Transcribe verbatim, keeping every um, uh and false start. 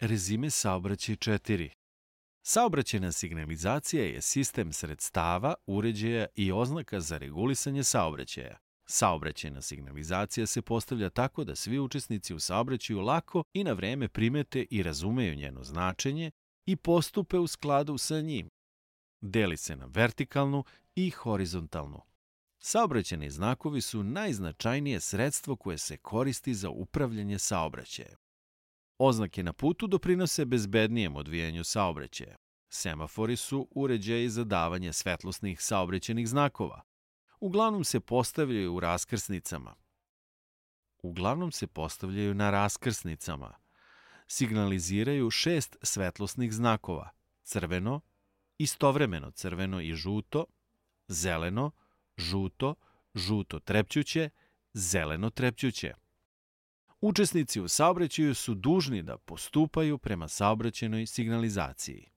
Rezime saobraćaj četiri. Saobraćajna signalizacija je sistem sredstava, uređaja i oznaka za regulisanje saobraćaja. Saobraćajna signalizacija se postavlja tako da svi učesnici u saobraćaju lako i na vreme primete i razumeju njeno značenje i postupe u skladu sa njim. Deli se na vertikalnu i horizontalnu. Saobraćajni znakovi su najznačajnije sredstvo koje se koristi za upravljanje saobraćajem. Oznake na putu doprinose bezbednijem odvijanju saobraćaja. Semafori su uređaji za davanje svetlosnih saobraćajnih znakova. Uglavnom se postavljaju u raskrsnicama. Uglavnom se postavljaju na raskrsnicama. Signaliziraju šest svetlosnih znakova: crveno, istovremeno crveno i žuto, zeleno, žuto, žuto trepćuće, zeleno trepćuće. Učesnici u saobraćaju su dužni da postupaju prema saobraćajnoj signalizaciji.